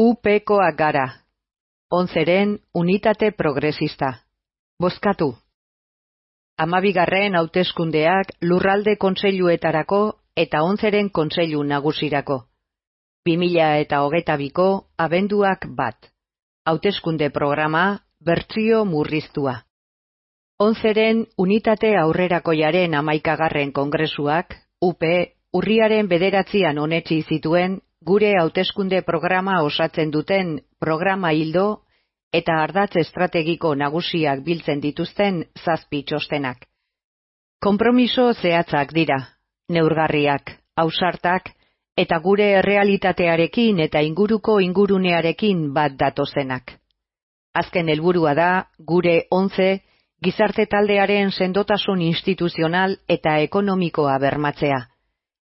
UPkoak gara. 11ren unitate progresista. Bozkatu. 12. hauteskundeak lurralde kontseiluetarako eta 11ren kontseilu nagusirako. 2022ko abenduak 1. Hauteskunde programa bertsio murriztua. 11ren unitate aurrerakoiaren 11. kongresuak, UP, urriaren 9an onetsi zituen gure hauteskunde programa osatzen duten programa ildo eta ardatz estrategiko nagusiak biltzen dituzten 7 txostenak. Konpromiso zehatzak dira, neurgarriak, ausartak eta gure errealitatearekin eta inguruko ingurunearekin bat datozenak. Azken helburua da gure 11 gizarte taldearen sendotasun instituzional eta ekonomikoa bermatzea,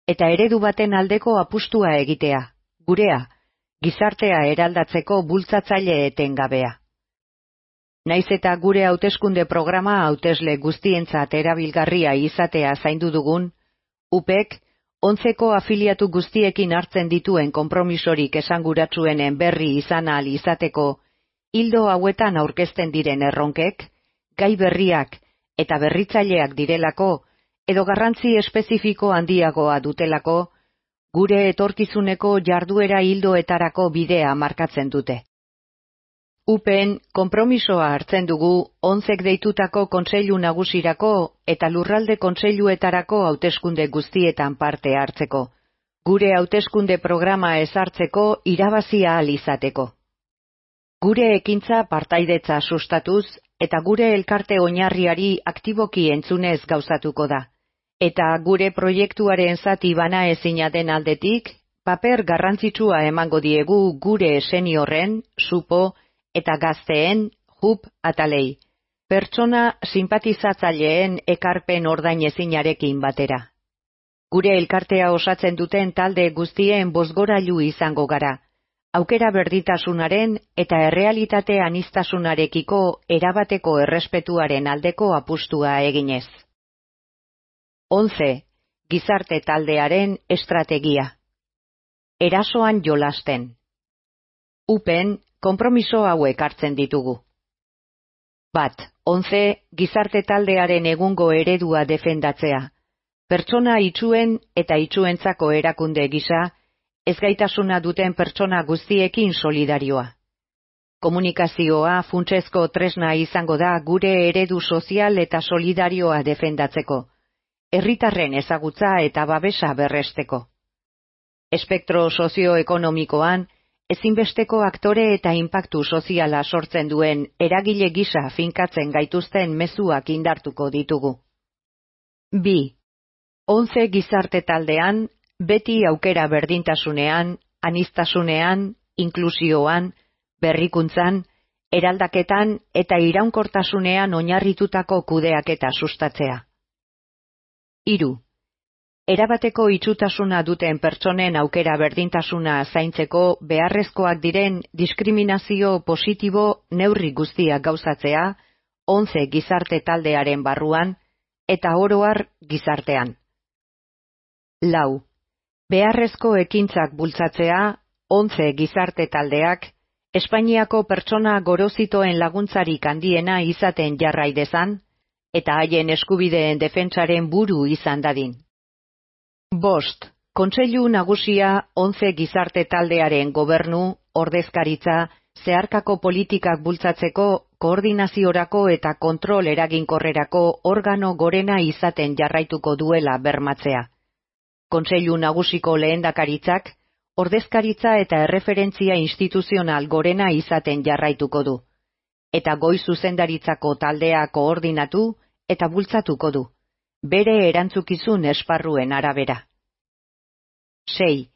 eta eredu baten aldeko apustua egitea, gurea, gizartea eraldatzeko bultzatzaile etengabea. Naiz eta gure hauteskunde programa hautesle guztientzat erabilgarria izatea zaindu dugun, UPek 11ko afiliatu guztiekin hartzen dituen konpromisorik esanguratsuenen berri izan ahal izateko, ildo hauetan aurkezten diren erronkek, gai berriak eta berritzaileak direlako, edo garrantzi espezifiko handiagoa dutelako, gure etorkizuneko jarduera ildoetarako bidea markatzen dute. UPen konpromisoa hartzen dugu 11k deitutako kontseilu nagusirako eta lurralde kontseiluetarako hauteskunde guztietan parte hartzeko, gure hauteskunde programa ezartzeko irabazi ahal izateko. Gure ekintza partaidetza sustatuz eta gure elkarte oinarriari aktiboki entzunez gauzatuko da. Eta gure proiektuaren zati banaezina den aldetik, paper garrantzitsua emango diegu gure seniorren, supo eta gazteen, JUP atalei, pertsona sinpatizatzaileen ekarpen ordainezinarekin batera. Gure elkartea osatzen duten talde guztien bozgorailu izango gara, aukera berdintasunaren eta errealitate aniztasunarekiko erabateko errespetuaren aldeko apustua eginez. 11. Gizarte taldearen estrategia. Erasoan jolasten. UPen konpromiso hauek hartzen ditugu. 1. 11. Gizarte taldearen egungo eredua defendatzea. Pertsona itsuen eta itsuentzako erakunde gisa, ezgaitasuna duten pertsona guztiekin solidarioa. Komunikazioa funtsezko tresna izango da gure eredu sozial eta solidarioa defendatzeko, herritarren ezagutza eta babesa berresteko. Espektro sozioekonomikoan, ezinbesteko aktore eta inpaktu soziala sortzen duen eragile gisa finkatzen gaituzten mezuak indartuko ditugu. 2. 11 gizarte taldean, beti aukera berdintasunean, aniztasunean, inklusioan, berrikuntzan, eraldaketan eta iraunkortasunean oinarritutako kudeaketa sustatzea. 3. Erabateko itsutasuna duten pertsonen aukera berdintasuna zaintzeko beharrezkoak diren diskriminazio positibo neurri guztiak gauzatzea, 11 gizarte taldearen barruan eta oro har gizartean. 4. Beharrezko ekintzak bultzatzea, 11 gizarte taldeak, Espainiako pertsona gorozitoen laguntzarik handiena izaten jarrai dezan, eta haien eskubideen defentsaren buru izan dadin. 5. Kontseilu nagusia 11 gizarte taldearen gobernu, ordezkaritza, zeharkako politikak bultzatzeko, koordinaziorako eta kontrol eraginkorrerako organo gorena izaten jarraituko duela bermatzea. Kontseilu nagusiko lehendakaritzak, ordezkaritza eta erreferentzia instituzional gorena izaten jarraituko du, eta goi zuzendaritzako taldea koordinatu eta bultzatuko du, bere erantzukizun esparruen arabera. 6.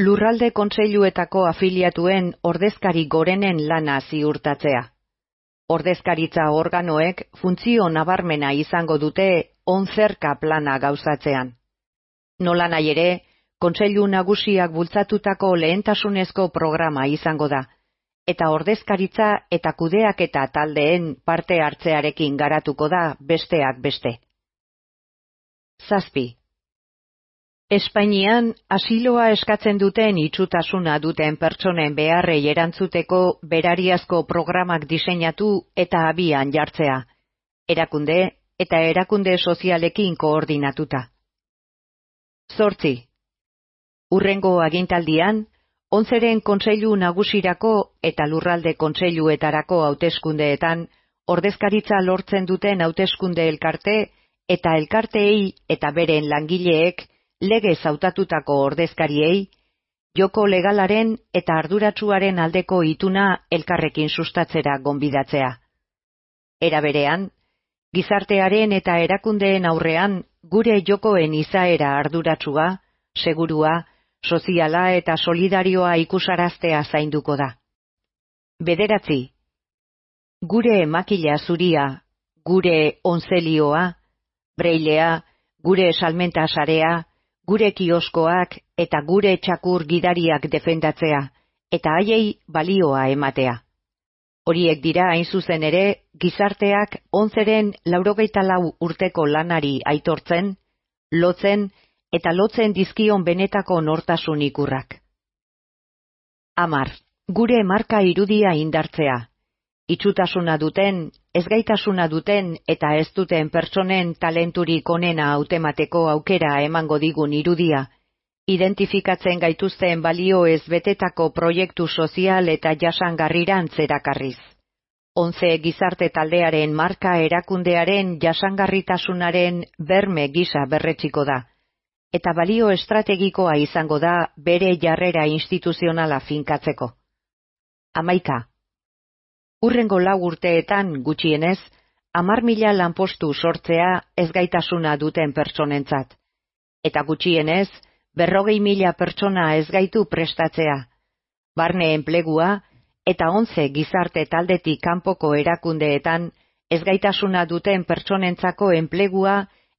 Lurralde kontseiluetako afiliatuen ordezkari gorenen lana ziurtatzea. Ordezkaritza organoek funtzio nabarmena izango dute 11 plana gauzatzean. Nolanahi ere, kontseilu nagusiak bultzatutako lehentasunezko programa izango da, eta ordezkaritza eta kudeaketa taldeen parte hartzearekin garatuko da besteak beste. 7. Espainian asiloa eskatzen duten itsutasuna duten pertsonen beharrei erantzuteko berariazko programak diseinatu eta abian jartzea, erakunde eta erakunde sozialekin koordinatuta. 8. Hurrengo agintaldian, 11. Kontseilu Nagusirako eta Lurralde Kontseiluetarako hauteskundeetan ordezkaritza lortzen duten hauteskunde elkarte eta elkarteei eta beren langileek legez hautatutako ordezkariei, joko legalaren eta arduratsuaren aldeko ituna elkarrekin sustatzera gonbidatzea. Era berean, gizartearen eta erakundeen aurrean gure jokoen izaera arduratsua, segurua, soziala eta solidarioa ikusaraztea zainduko da. 9. Gure makila zuria, gure onzelioa, breilea, gure salmenta sarea, gure kioskoak eta gure txakur gidariak defendatzea, eta haiei balioa ematea. Horiek dira hain zuzen ere, gizarteak 11-ren 94 urteko lanari aitortzen, lotzen eta lotzen dizkion benetako nortasun ikurrak. 10. Gure marka irudia indartzea. Itsutasuna duten, ezgaitasuna duten eta ez duten pertsonen talenturik onena hautemateko aukera emango digun irudia, identifikatzen gaituzten balio ez betetako proiektu sozial eta jasangarrirantz erakarriz. 11 gizarte taldearen marka erakundearen jasangarritasunaren berme gisa berretsiko da, eta balio estrategikoa izango da bere jarrera instituzionala finkatzeko. 11. Hurrengo 4 urteetan gutxienez, 10.000 lanpostu sortzea ezgaitasuna duten pertsonentzat, eta gutxienez 40.000 pertsona ezgaitu prestatzea, barne enplegua eta 11 gizarte taldetik kanpoko erakundeetan ezgaitasuna duten pertsonentzako enplegua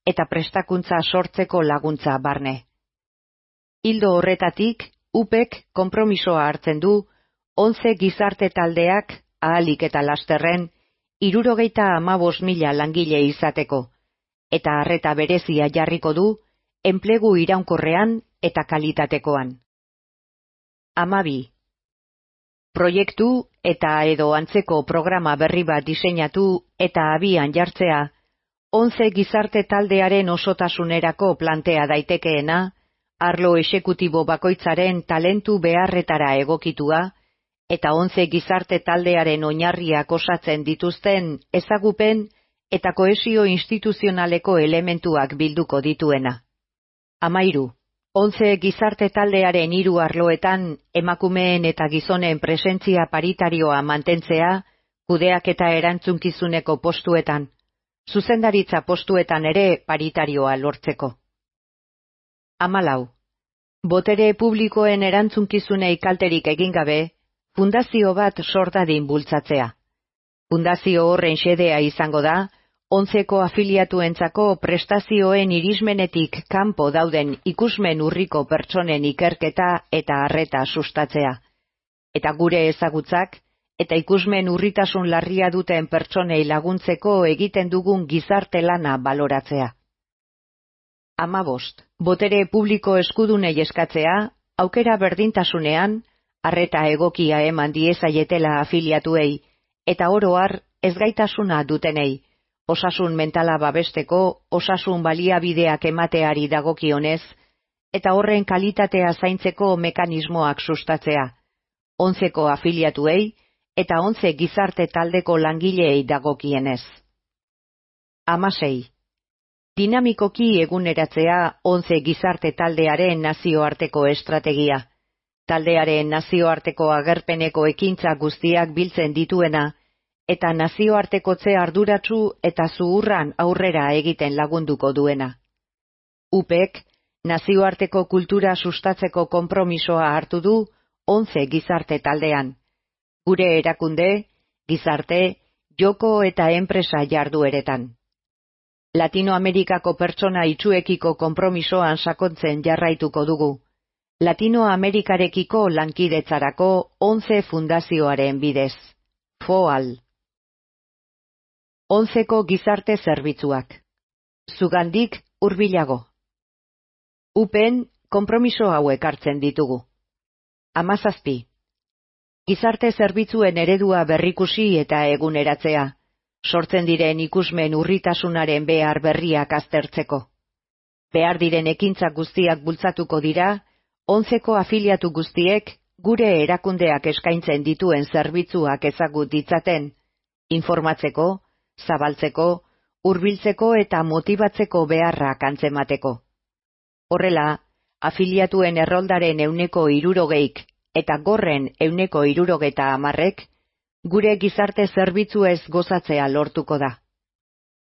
eta prestakuntza sortzeko laguntza barne. Ildo horretatik, UPek konpromisoa hartzen du 11 gizarte taldeak ahalik eta lasterren 75.000 langile izateko, eta arreta berezia jarriko du enplegu iraunkorrean eta kalitatekoan. 12. Proiektu eta edo antzeko programa berri bat diseinatu eta abian jartzea, 11 gizarte taldearen osotasunerako plantea daitekeena, arlo exekutibo bakoitzaren talentu beharretara egokitua, eta 11 gizarte taldearen oinarriak osatzen dituzten ezagupen eta kohesio instituzionaleko elementuak bilduko dituena. 13. 11 gizarte taldearen 3 arloetan emakumeen eta gizonen presentzia paritarioa mantentzea, kudeaketa erantzunkizuneko postuetan, zuzendaritza postuetan ere paritarioa lortzeko. 14. Botere publikoen erantzunkizunei kalterik egin gabe, fundazio bat sortadin bultzatzea. Fundazio horren xedea izango da, 11ko afiliatuentzako prestazioen irismenetik kanpo dauden ikusmen urriko pertsonen ikerketa eta arreta sustatzea, eta gure ezagutzak eta ikusmen urritasun larria duten pertsonei laguntzeko egiten dugun gizarte lana baloratzea. 15. Botere publiko eskudunei eskatzea, aukera berdintasunean, arreta egokia eman diezaietela afiliatuei, eta oro har ezgaitasuna dutenei, osasun mentala babesteko, osasun baliabideak emateari dagokionez, eta horren kalitatea zaintzeko mekanismoak sustatzea, 11ko afiliatuei eta 11 gizarte taldeko langileei dagokienez. 16. Dinamikoki eguneratzea 11 gizarte taldearen nazioarteko estrategia, taldearen nazioarteko agerpeneko ekintza guztiak biltzen dituena, eta nazioartekotze arduratsu eta zuhurran aurrera egiten lagunduko duena. UPek, nazioarteko kultura sustatzeko konpromisoa hartu du 11 gizarte taldean, gure erakunde, gizarte, joko eta enpresa jardueretan. Latinoamerikako pertsona itsuekiko konpromisoan sakontzen jarraituko dugu, Latinoamerikarekiko lankidetzarako 11 fundazioaren bidez. FOAL. 11ko gizarte zerbitzuak. Zugandik hurbilago. UPen konpromiso hauek hartzen ditugu. 17. Gizarte zerbitzuen eredua berrikusi eta eguneratzea, sortzen diren ikusmen urritasunaren behar berriak aztertzeko. Behar diren ekintzak guztiak bultzatuko dira, 11ko afiliatu guztiek gure erakundeak eskaintzen dituen zerbitzuak ezagut ditzaten, informatzeko, zabaltzeko, hurbiltzeko eta motibatzeko beharrak antzemateko. Horrela, afiliatuen erroldaren 60% eta gorren 60% gure gizarte zerbitzuez gozatzea lortuko da.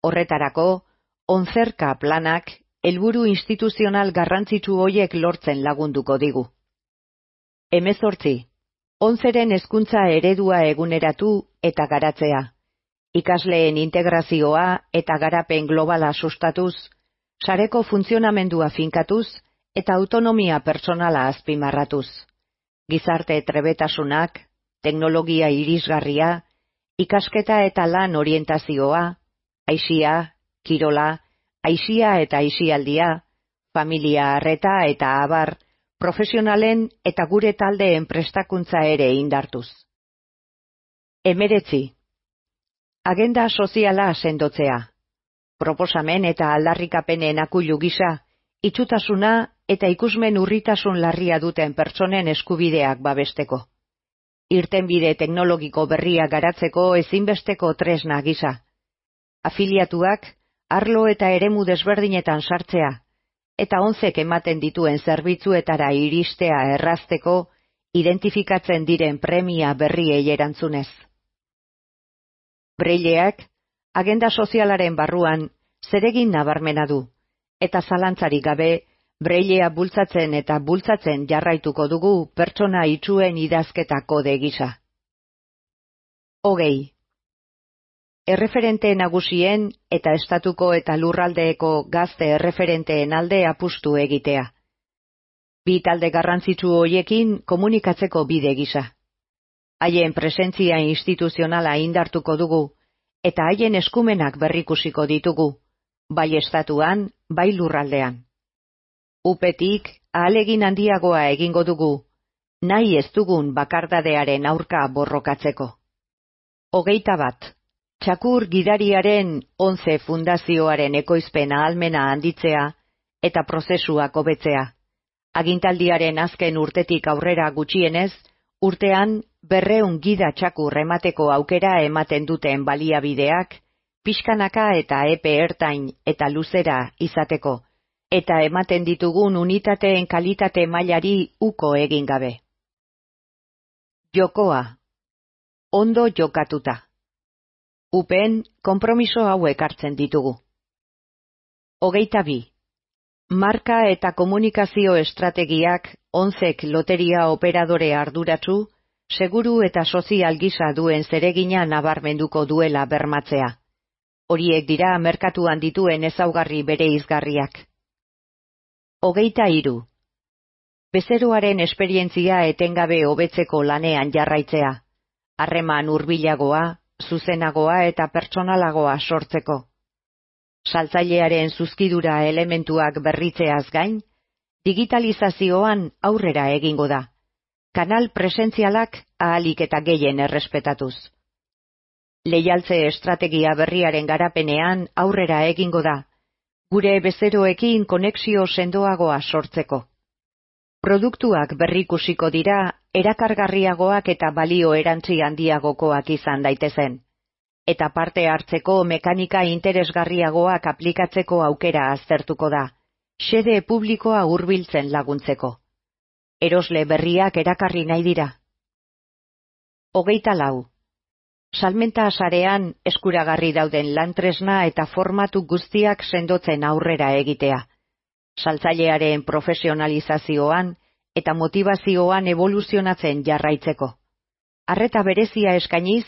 Horretarako, 11 planak helburu instituzional garrantzitsu hoiek lortzen lagunduko digu. 18. 11ren hezkuntza eredua eguneratu eta garatzea, ikasleen integrazioa eta garapen globala sustatuz, sareko funtzionamendua finkatuz eta autonomia pertsonala azpimarratuz. Gizarte trebetasunak, teknologia irisgarria, ikasketa eta lan orientazioa, aisia, kirola, aisia eta aisialdia, familia arreta eta abar, profesionalen eta gure taldeen prestakuntza ere indartuz. 19. Agenda soziala sendotzea. Proposamen eta aldarrikapenen akuilu gisa, itsutasuna eta ikusmen urritasun larria duten pertsonen eskubideak babesteko. Irtenbide teknologiko berria garatzeko ezinbesteko tresna gisa. Afiliatuak, arlo eta eremu desberdinetan sartzea, eta 11k ematen dituen zerbitzuetara iristea errazteko, identifikatzen diren premia berriei erantzunez. Braileak, agenda sozialaren barruan, zeregin nabarmena du, eta zalantzarik gabe, brailea bultzatzen eta bultzatzen jarraituko dugu pertsona itsuen idazketa kode gisa. 20. Erreferente nagusien eta estatuko eta lurraldeeko gazte erreferenteen alde apustu egitea. Bi talde garrantzitsu hoiekin komunikatzeko bide gisa. Haien presentzia instituzionala indartuko dugu, eta haien eskumenak berrikusiko ditugu, bai estatuan, bai lurraldean. UPetik ahalegin handiagoa egingo dugu, nahi ez dugun bakardadearen aurka borrokatzeko. 21. Txakur gidariaren 11 fundazioaren ekoizpen ahalmena handitzea eta prozesuak hobetzea. Agintaldiaren azken urtetik aurrera gutxienez, urtean 200 gida txakur emateko aukera ematen duten baliabideak, pixkanaka eta epe ertain eta luzera izateko, eta ematen ditugun unitateen kalitate mailari uko egin gabe. Jokoa. Ondo jokatuta. UPen konpromiso hauek hartzen ditugu. 22. Marka eta komunikazio estrategiak 11k loteria operadore arduratsu, seguru eta sozial gisa duen zeregina nabarmenduko duela bermatzea. Horiek dira merkatuan dituen ezaugarri bereizgarriak. 23. Bezeroaren esperientzia etengabe hobetzeko lanean jarraitzea, harreman hurbilagoa, zuzenagoa eta pertsonalagoa sortzeko. Saltzailearen zuzkidura elementuak berritzeaz gain, digitalizazioan aurrera egingo da, kanal presentzialak ahalik eta gehien errespetatuz. Leialtze estrategia berriaren garapenean aurrera egingo da, gure bezeroekin konexio sendoagoa sortzeko. Produktuak berrikusiko dira erakargarriagoak eta balio erantzi handiagokoak izan daitezen, eta parte hartzeko mekanika interesgarriagoak aplikatzeko aukera aztertuko da, xede publikoa hurbiltzen laguntzeko. Erosle berriak erakarri nahi dira. 24. Salmenta sarean eskuragarri dauden lantresna eta formatu guztiak sendotzen aurrera egitea. Saltzailearen profesionalizazioan eta motivazioan evoluzionatzen jarraitzeko. Arreta berezia eskainiz,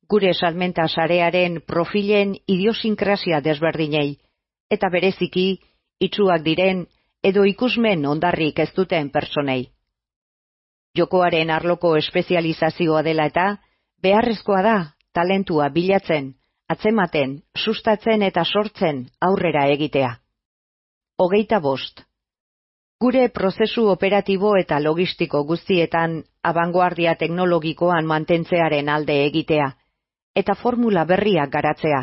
gure salmenta sarearen profilen idiosinkrasia desberdinei, eta bereziki, itsuak diren edo ikusmen ondarrik ez duten pertsonei. Jokoaren arloko espezializazioa dela eta, beharrezkoa da, talentua bilatzen, atzematen, sustatzen eta sortzen aurrera egitea. 25. Gure prozesu operatibo eta logistiko guztietan abangoardia teknologikoan mantentzearen alde egitea, eta formula berriak garatzea.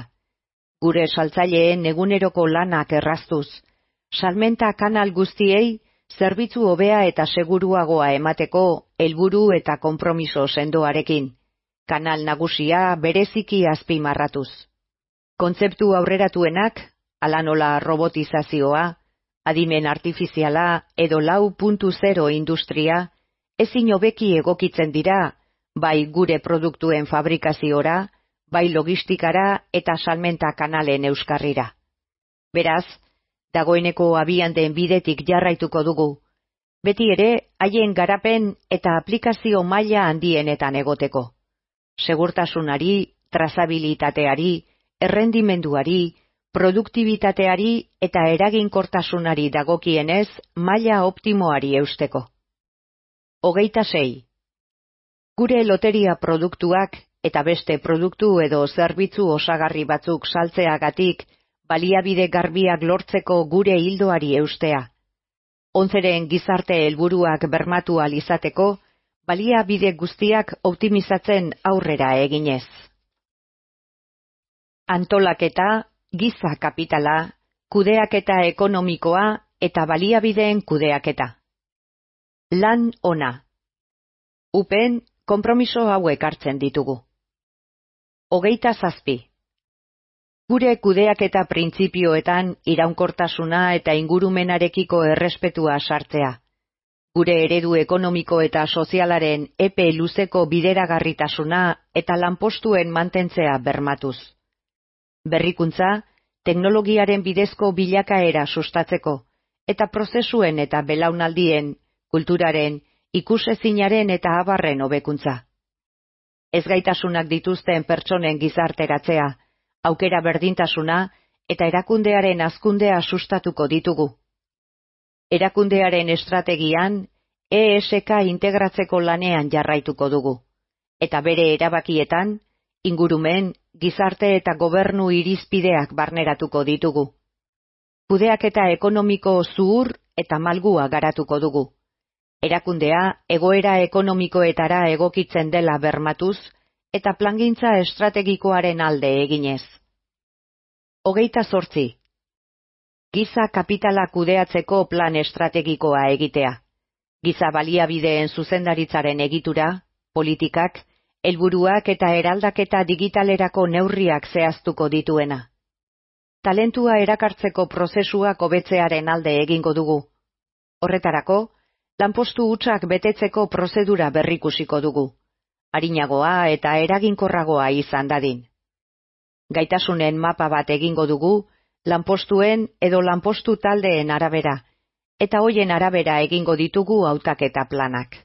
Gure saltzaileen eguneroko lanak erraztuz, salmenta kanal guztiei zerbitzu hobea eta seguruagoa emateko helburu eta konpromiso sendoarekin, kanal nagusia bereziki azpimarratuz. Kontzeptu aurreratuenak, hala nola robotizazioa, adimen artifiziala edo 4.0 industria, ezin hobeki egokitzen dira, bai gure produktuen fabrikaziora, bai logistikara eta salmenta kanalen euskarrira. Beraz, dagoeneko abian den bidetik jarraituko dugu, beti ere haien garapen eta aplikazio maila handienetan egoteko. Segurtasunari, trazabilitateari, errendimenduari, produktibitateari eta eraginkortasunari dagokienez maila optimoari eusteko. 26. Gure loteria produktuak eta beste produktu edo zerbitzu osagarri batzuk saltzeagatik baliabide garbiak lortzeko gure ildoari eustea. Onzeren gizarte helburuak bermatu ahal izateko, baliabide guztiak optimizatzen aurrera eginez. Antolaketa, giza kapitala, kudeaketa ekonomikoa eta baliabideen kudeaketa. Lan ona. Upen, konpromiso hauek hartzen ditugu. 27. Gure kudeaketa printzipioetan iraunkortasuna eta ingurumenarekiko errespetua sartzea. Gure eredu ekonomiko eta sozialaren epe luzeko bideragarritasuna eta lanpostuen mantentzea bermatuz. Berrikuntza, teknologiaren bidezko bilakaera sustatzeko, eta prozesuen eta belaunaldien, kulturaren, ikusezinaren eta abarren hobekuntza. Ezgaitasunak dituzten pertsonen gizarteratzea, aukera berdintasuna eta erakundearen hazkundea sustatuko ditugu. Erakundearen estrategian, ESK integratzeko lanean jarraituko dugu, eta bere erabakietan, ingurumen, gizarte eta gobernu irizpideak barneratuko ditugu. Kudeaketa ekonomiko zuhur eta malgua garatuko dugu. Erakundea egoera ekonomikoetara egokitzen dela bermatuz eta plangintza estrategikoaren alde eginez. 28. Giza kapitala kudeatzeko plan estrategikoa egitea. Giza baliabideen zuzendaritzaren egitura, politikak, helburuak eta eraldaketa digitalerako neurriak zehaztuko dituena. Talentua erakartzeko prozesuak hobetzearen alde egingo dugu. Horretarako, lanpostu hutsak betetzeko prozedura berrikusiko dugu, arinagoa eta eraginkorragoa izan dadin. Gaitasunen mapa bat egingo dugu, lanpostuen edo lanpostu taldeen arabera, eta hoien arabera egingo ditugu hautaketa planak.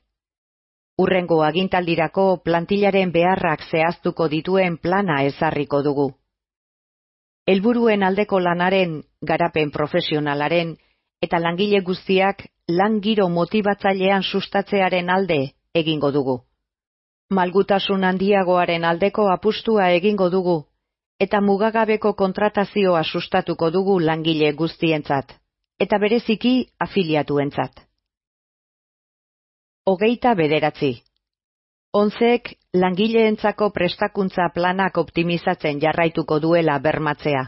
Hurrengo agintaldirako plantillaren beharrak zehaztuko dituen plana ezarriko dugu. Helburuen aldeko lanaren, garapen profesionalaren eta langile guztiak lan giro motibatzailean sustatzearen alde egingo dugu. Malgutasun handiagoaren aldeko apustua egingo dugu, eta mugagabeko kontratazioa sustatuko dugu langile guztientzat, eta bereziki afiliatuentzat. 29. Onzek langileentzako prestakuntza planak optimizatzen jarraituko duela bermatzea,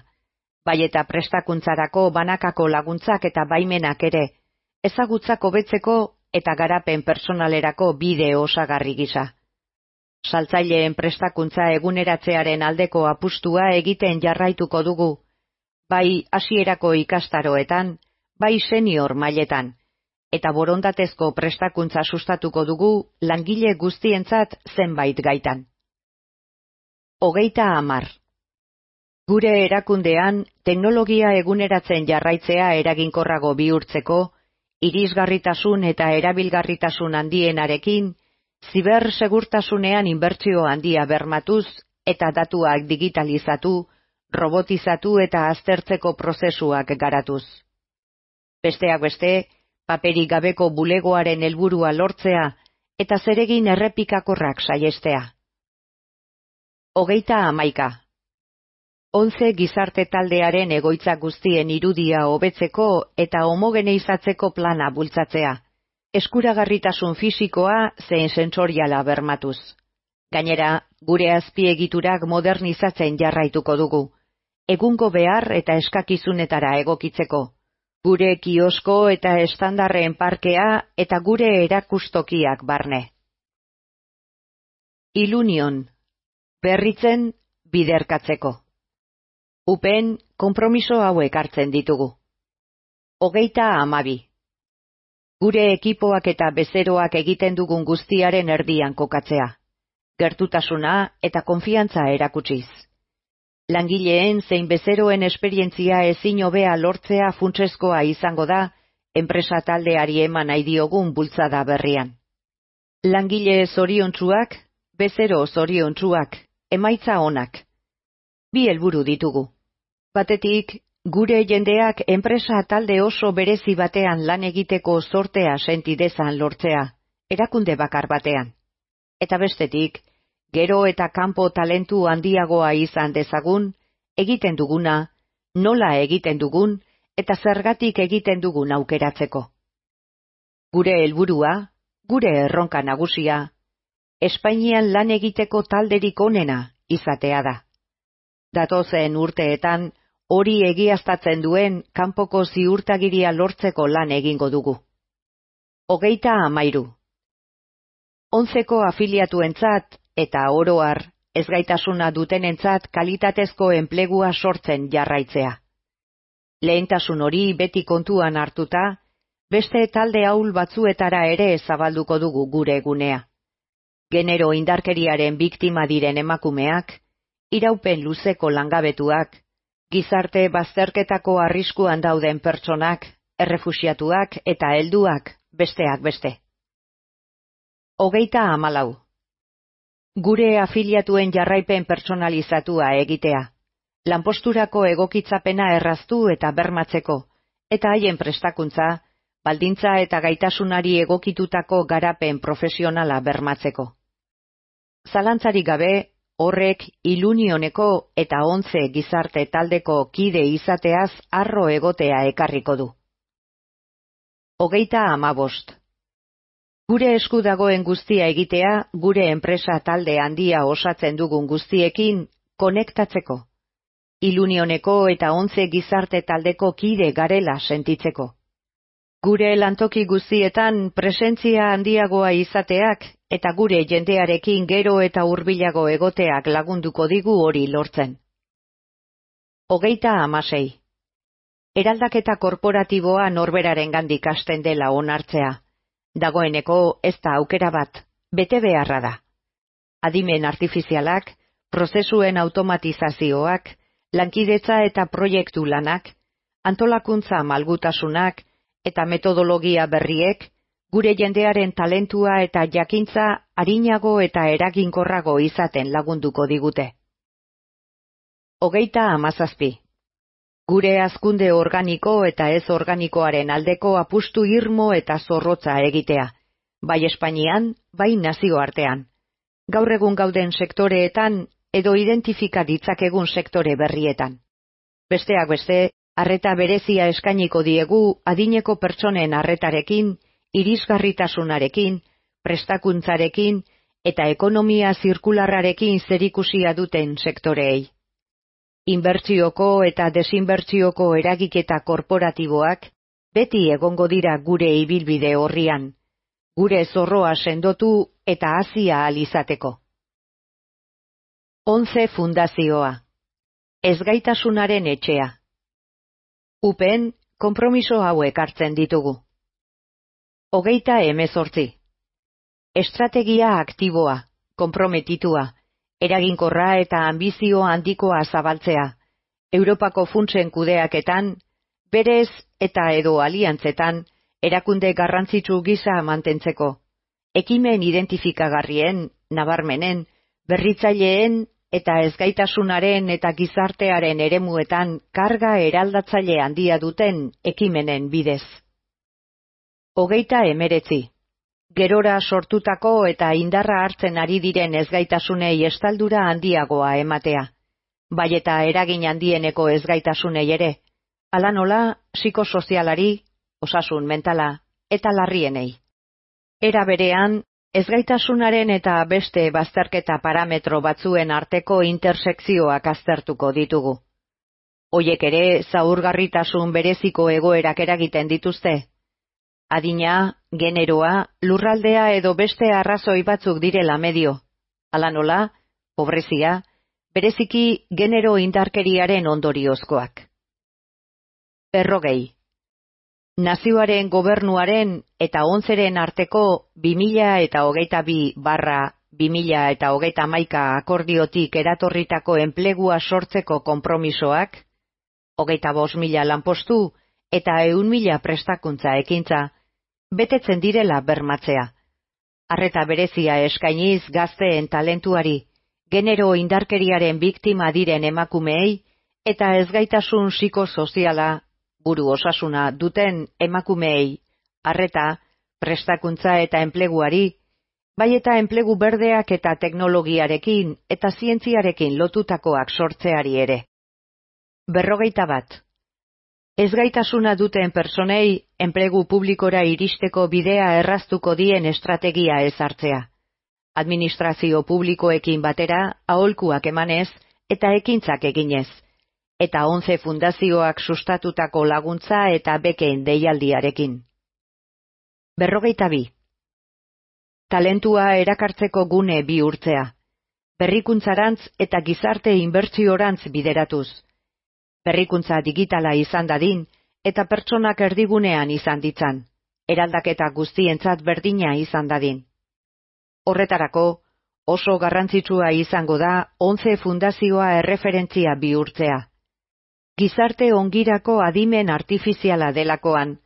bai eta prestakuntzarako banakako laguntzak eta baimenak ere, ezagutzak hobetzeko eta garapen personalerako bide osagarri gisa. Saltzaileen prestakuntza eguneratzearen aldeko apustua egiten jarraituko dugu, bai hasierako ikastaroetan, bai senior mailetan, eta borondatezko prestakuntza sustatuko dugu langile guztientzat zenbait gaitan. 30. Gure erakundean teknologia eguneratzen jarraitzea eraginkorrago bihurtzeko, irisgarritasun eta erabilgarritasun handienarekin, zibersegurtasunean inbertsio handia bermatuz eta datuak digitalizatu, robotizatu eta aztertzeko prozesuak garatuz. Besteak beste, paperik gabeko bulegoaren helburua lortzea eta zeregin errepikakorrak saihestea. 31. 11 gizarte taldearen egoitza guztien irudia hobetzeko eta homogeneizatzeko plana bultzatzea, eskuragarritasun fisikoa zein sentsoriala bermatuz. Gainera, gure azpiegiturak modernizatzen jarraituko dugu, egungo behar eta eskakizunetara egokitzeko, gure kiosko eta estandarren parkea eta gure erakustokiak barne. Ilunion, berritzen biderkatzeko. UPen konpromiso hauek hartzen ditugu. 32. Gure ekipoak eta bezeroak egiten dugun guztiaren erdian kokatzea. Gertutasuna eta konfiantza erakutsiz. Langileen zein bezeroen esperientzia ezin hobea lortzea funtsezkoa izango da enpresa taldeari eman nahi diogun bultzada berrian. Langile zoriontsuak, bezero zoriontsuak, emaitza onak. 2 helburu ditugu. Batetik, gure jendeak enpresa talde oso berezi batean lan egiteko zortea senti dezan lortzea, erakunde bakar batean. Eta bestetik, gero eta kanpo talentu handiagoa izan dezagun, egiten duguna, nola egiten dugun, eta zergatik egiten dugun aukeratzeko. Gure helburua, gure erronka nagusia, Espainian lan egiteko talderik onena izatea da. Datozen urteetan, hori egiaztatzen duen kanpoko ziurtagiria lortzeko lan egingo dugu. 33. 11ko afiliatuentzat eta oro har, ezgaitasuna dutenentzat kalitatezko enplegua sortzen jarraitzea. Lehentasun hori beti kontuan hartuta, beste talde ahul batzuetara ere zabalduko dugu gure gunea. Genero indarkeriaren biktima diren emakumeak, iraupen luzeko langabetuak, gizarte bazterketako arriskuan dauden pertsonak, errefuxiatuak eta helduak, besteak beste. 34. Gure afiliatuen jarraipen pertsonalizatua egitea, lanposturako egokitzapena erraztu eta bermatzeko, eta haien prestakuntza, baldintza eta gaitasunari egokitutako garapen profesionala bermatzeko. Zalantzarik gabe, horrek Ilunioneko eta 11 gizarte taldeko kide izateaz harro egotea ekarriko du. 35. Gure esku dagoen guztia egitea, gure enpresa talde handia osatzen dugun guztiekin konektatzeko. Ilunioneko eta 11 gizarte taldeko kide garela sentitzeko. Gure lantoki guztietan presentzia handiagoa izateak eta gure jendearekin gero eta hurbilago egoteak lagunduko digu hori lortzen. 36. Eraldaketa korporatiboa norberarengandik hasten dela onartzea. Dagoeneko ez da aukera bat, bete beharra da. Adimen artifizialak, prozesuen automatizazioak, lankidetza eta proiektu lanak, antolakuntza malgutasunak eta metodologia berriek, gure jendearen talentua eta jakintza arinago eta eraginkorrago izaten lagunduko digute. 37. Gure hazkunde organiko eta ez organikoaren aldeko apustu irmo eta zorrotza egitea, bai Espainian, bai nazioartean. Gaur egun gauden sektoreetan edo identifika ditzakegun sektore berrietan. Besteak beste, arreta berezia eskainiko diegu adineko pertsonen arretarekin, irisgarritasunarekin, prestakuntzarekin eta ekonomia zirkularrarekin zerikusia duten sektoreei. Inbertsioko eta desinbertsioko eragiketa korporatiboak beti egongo dira gure ibilbide orrian, gure zorroa sendotu eta hazia ahal izateko. 11 fundazioa. Ezgaitasunaren etxea. UPen konpromiso hauek hartzen ditugu. 38. Estrategia aktiboa, konprometitua, eraginkorra eta anbizio handikoa zabaltzea, Europako funtsen kudeaketan, berez eta edo aliantzetan, erakunde garrantzitsu gisa mantentzeko, ekimen identifikagarrien, nabarmenen, berritzaileen eta ezgaitasunaren eta gizartearen eremuetan karga eraldatzaile handia duten ekimenen bidez. 39. Gerora sortutako eta indarra hartzen ari diren ezgaitasunei estaldura handiagoa ematea. bai eta eragin handieneko ezgaitasunei ere, hala nola psikosozialari, osasun mentala eta larrienei. Era berean, ezgaitasunaren eta beste bazterketa parametro batzuen arteko intersekzioak aztertuko ditugu. Hoiek ere zaurgarritasun bereziko egoerak eragiten dituzte. Adina, generoa, lurraldea edo beste arrazoi batzuk direla medio. Hala nola, pobrezia, bereziki genero indarkeriaren ondoriozkoak. 40. Nazioaren gobernuaren eta ONCEren arteko 2022/2031 akordiotik eratorritako enplegua sortzeko konpromisoak, 25.000 lanpostu eta 100.000 prestakuntza ekintza, betetzen direla bermatzea. Arreta berezia eskainiz gazteen talentuari, genero indarkeriaren biktima diren emakumeei eta ezgaitasun psikosoziala, buru osasuna duten emakumeei, arreta, prestakuntza eta enpleguari, bai eta enplegu berdeak eta teknologiarekin eta zientziarekin lotutakoak sortzeari ere. 41. Ezgaitasuna duten personei enplegu publikora iristeko bidea erraztuko dien estrategia ezartzea. Administrazio publikoekin batera aholkuak emanez eta ekintzak eginez, eta 11 fundazioak sustatutako laguntza eta beken deialdiarekin. 42. Talentua erakartzeko gune bihurtzea, berrikuntzarantz eta gizarte inbertsiorantz bideratuz. Berrikuntza digitala izan dadin eta pertsonak erdigunean izan ditzan, eraldaketa guztientzat berdina izan dadin. Horretarako, oso garrantzitsua izango da 11 fundazioa erreferentzia bihurtzea. Gizarte ongirako adimen artifiziala delakoan,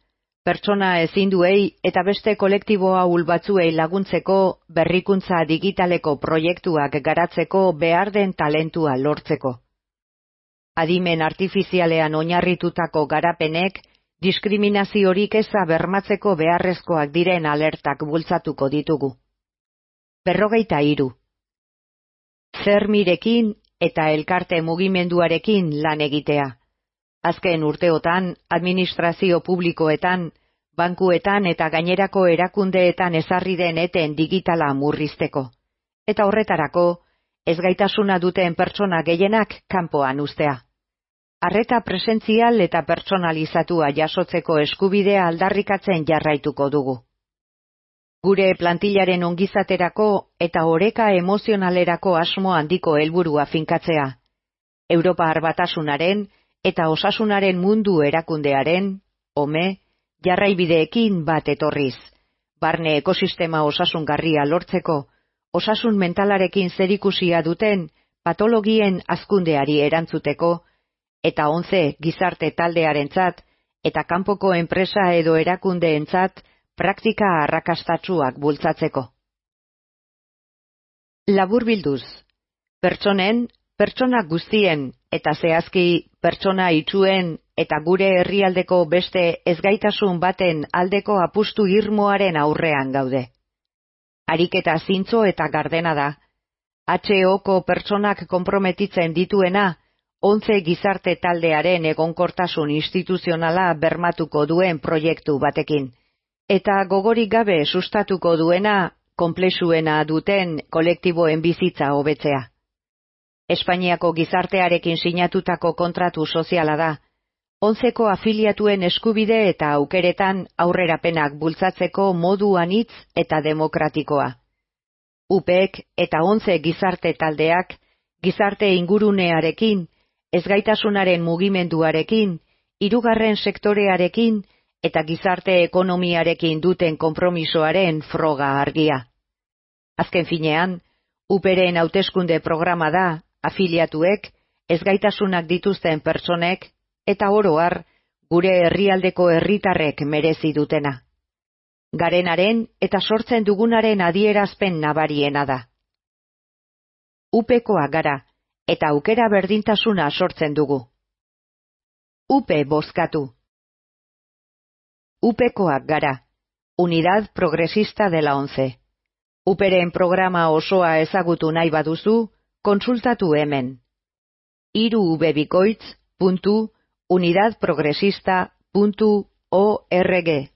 pertsona ezinduei eta beste kolektibo ahul batzuei laguntzeko berrikuntza digitaleko proiektuak garatzeko behar den talentua lortzeko. Adimen artifizialean oinarritutako garapenek diskriminaziorik eza bermatzeko beharrezkoak diren alertak bultzatuko ditugu. 43. Zermirekin eta elkarte mugimenduarekin lan egitea. Azken urteotan, administrazio publikoetan, bankuetan eta gainerako erakundeetan ezarri den eten digitala murrizteko. Eta horretarako, ezgaitasuna duten pertsona gehienak kanpoan uztea. Arreta presentzial eta pertsonalizatua jasotzeko eskubidea aldarrikatzen jarraituko dugu. Gure plantillaren ongizaterako eta oreka emozionalerako asmo handiko helburua finkatzea. Europar Batasunaren eta osasunaren mundu erakundearen, OME, jarraibideekin bat etorriz, barne ekosistema osasungarria lortzeko, osasun mentalarekin zerikusia duten patologien hazkundeari erantzuteko, eta 11 gizarte taldearentzat eta kanpoko enpresa edo erakundeentzat praktika arrakastatsuak bultzatzeko. Laburbilduz, pertsona guztien eta zehazki pertsona itsuen eta gure herrialdeko beste ezgaitasun baten aldeko apustu irmoaren aurrean gaude. Ariketa zintzo eta gardena da. HOko pertsonak konprometitzen dituena, 11 gizarte taldearen egonkortasun instituzionala bermatuko duen proiektu batekin, eta gogorik gabe sustatuko duena konplexuena duten kolektiboen bizitza hobetzea. Espainiako gizartearekin sinatutako kontratu soziala da, 11ko afiliatuen eskubide eta aukeretan aurrerapenak bultzatzeko modu anitz eta demokratikoa. UPek eta 11 gizarte taldeak, gizarte ingurunearekin, ezgaitasunaren mugimenduarekin, hirugarren sektorearekin eta gizarte ekonomiarekin duten konpromisoaren froga argia. Azken finean, UPren hauteskunde programa da, afiliatuek, ezgaitasunak dituzten pertsonek, eta oro har, gure herrialdeko herritarrek merezi dutena. Garenaren eta sortzen dugunaren adierazpen nabariena da. UPkoa gara, eta aukera berdintasuna sortzen dugu. UP bozkatu. UPkoak gara, Unidad Progresista de la ONCE. UPren programa osoa ezagutu nahi baduzu, kontsultatu hemen. www.unidadprogresista.org